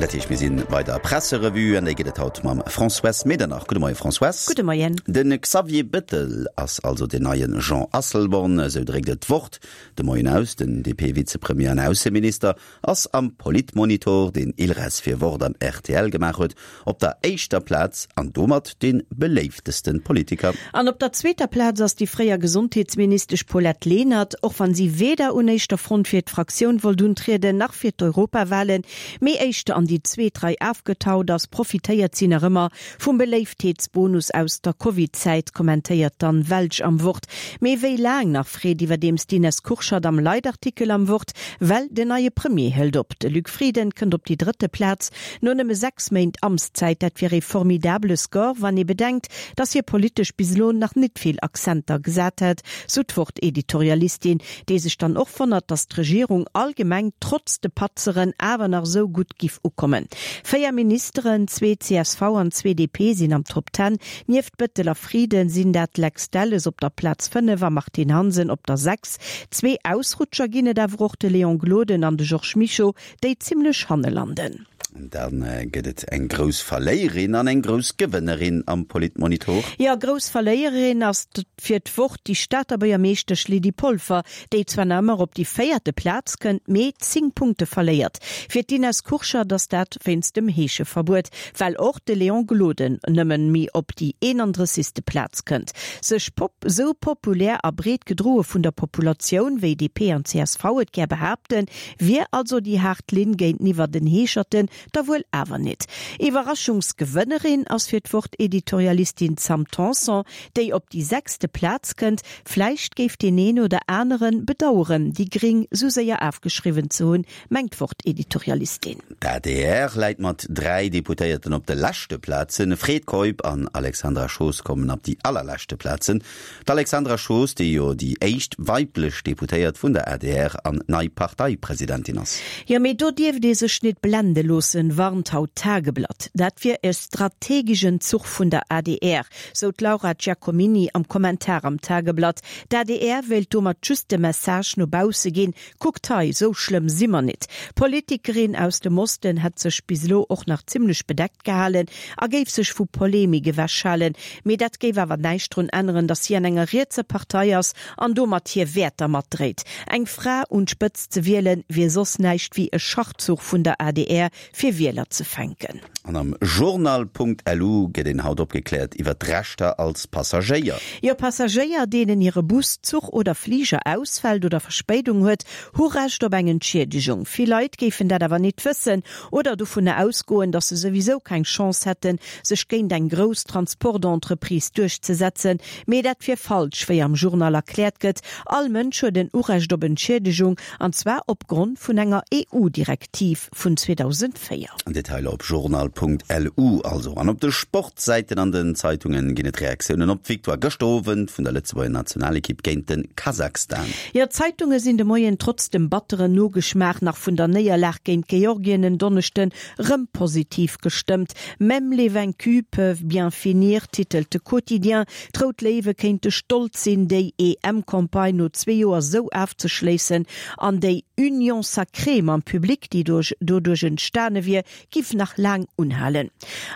Dat heescht, mir si bei der Presserevue an déi gëtt et haut mam Françoise Medernach. Gudde Moie Françoise. Gudde Moien. De Xavier Bettel ass also den neie Jean Asselborn, esou dréckt et d'Wort de Moien aus. Den DP-Vizepremier an Ausseminister ass am Politmonitor, deen Ilres fir Wort an rtl gemaach huet, op der éischter Plaz an domat dee beléiftesten Politiker. An op der zweeter Plaz ass déi fréier Gesondheetsministesch Paulette Lenert, och wann si weder un éischter Front fir d'Fraktioun wollt untrieden, nach fir d'Europawahlen, mee éischter an déi zweet Rei afgetaut ass, profitéiert si nach ëmmer vum Beléiftheetsbonus aus der Covid-Zäit, kommentéiert d'Anne Welsch am Wort. Mee wéi laang nach, freet iwwerdeems d'Ines Kurschat am Leitartikel am Wort, well den neie Premier hëlt op. De Luc Frieden kënnt op déi drëtte Plaz no nëmme 6 Méint Amtszäit. Dat wier ee formidabele Score, wann ee bedenkt, datt hie politesch bis elo nach nit vill Accenter gesat hätt, sou d'Wort-Editorialistin, déi sech dann och wonnert, datt d'Regierung allgemeng trotz de Patzeren awer nach esou gutt giff ukommen. 4 Ministeren, zwee csv an zwee DP sinn am Top Ten. Nieft Bettel a Frieden sinn dat Lex Delles op der Plaz 5 a Martine Hansen op der 6. Zwee Ausrutscher ginn et awer och, de Léon Gloden an de Georges Mischo, déi zimmlech hanne landen. Da gëtt et eng grouss Verléierin an eng grouss Gewënnerin am Politmonitor. Jo, grouss Verléierin ass fir d'Wort déi Stater Buergermeeschtesch Lydie Polfer, déi zwar nach ëmmer op déi véierte Plaz kënnt, mee 10 Punkte verléiert. Fir d'Ines Kurschat ass dat wéinst dem Heescheverbuet, well och de Léon Gloden nëmmen méi op déi 31. Plaz kënnt. Sech pop sou populär a breet gedroe vun der Populatioun, wéi DP an csv et gär behaapten, Wier also déi haart Linn géinteniwwer den Heescherten da wuel awer nit. Iwwerraschungsgewënnerin ass fir d'Wort-Editorialistin Sam Tanson, déi op déi sechste Plaz kënnt. Vläicht géif deen een oder aneren bedaueren, déi Gring sou séier afgeschriwwen ze hunn, mengt d'Wort-Editorialistin. D'adr läit mat 3 Deputéierten op de leschte Plazen. Fred Keup an Alexandra Schoos kommen op déi allerleschte Plazen. D'Alexandra Schoos, déi jo déi éischt weiblech Deputéiert vun der adr an nei Parteipresidentin ass. Jo, mee do dierft ee sech nit blende loossen, warnt haut d'Tageblatt. Dat wier e strategegen Zuch vun der adr, sou d'Laura Giacomini am Kommentar am Tageblatt. D'adr wéilt domat just de Message no bausse ginn, Kuckt hei, sou schlëmm si mer nit. D'Politikerin aus dem Osten hätt sech bis elo och nach zimmlech bedeckt gehalen a géif sech vu Polemik ewechhalen. Mee dat géif awer näischt drun änneren, datt si an enger rietser Partei ass an domat hir Wäerter matdréit. Eng Fra un d'Spëtzt ze wielen, wier soss näischt wéi e Schachzuch vun der adr, fir Wieler ze fänken. An am Journal.lu gëtt een haut opgekläert iwwer d'Rechter als Passagéier. Jo, Passagéier, deenen hire Bus, Zuch oder Fliger ausfält oder Verspéidung huet, hu Recht op eng Entschiedegung. Vill Leit géifen dat awer nit wëssen oder dovunner ausgoen, datt se souwisou keng Chance hätten, sech géint eng grouss Transportentreprise duerchzesetzen. Mee dat wier falsch, wéi am Journal erkläert gëtt. All Mënsch huet en Urecht op Entschiedegung, an zwar opgrond vun enger EU-Direktiv. Vun 2004. Detailer op journal.lu also. An op de Sportsäiten an den Zeitungen ginn et Reaktiounen op d'Victoire gëschter Owend vun der Lëtzebuerger Nationalekipp géint de Kasachstan. Jo, d'Zeitunge sinn de Moien trotz dem batteren Nogeschmaach nach vun der Néierlag géint Georgien en Donneschden rëm positiv gestëmmt. Même les vaincus peuvent bien finir, titelt de Quotidien. D'Rout Léiwe kéinte stolz sinn, déi EM-Campagne no zwee Joer sou afzeschléissen an déi Union sacrée mam Public, déi doduerch entstane wier, giff nach laang unhalen.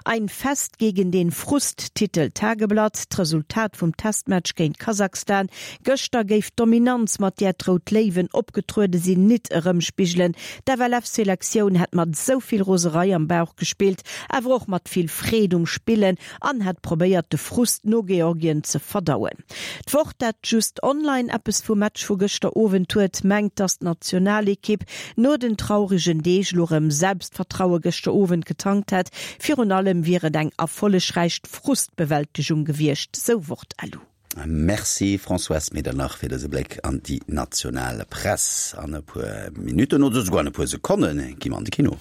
Ein Fest gegen den Frust, titelt d'Tageblatt. D'Resultat vum Testmatch géint Kasachstan gëschter géif d'Dominanz, mat där d'Rout Léiwen opgetruede sinn, nit erëmspigelen. D'FLF-Selektioun hätt mat esou vill Roserei am Bauch gespillt, awer och mat vill Freed um Spillen an hätt probéiert, de Frust no Georgien ze verdauen. D'Wort, dat just online eppes vum Match vu gëschter Owend huet, mengt, dass d'Nationalekipp no den trauregen Deeg lo rëm Selbstvertraue gëschter Owend getankt hätt. Virun allem wier et eng erfollegräich Frustbewältegung gewiescht, sou Wort-LU. Merci Françoise Medernach fir dëse Bléck an déi national Press. An e puer Minutten oder souguer an e puer Sekonne gi mer an de Kino.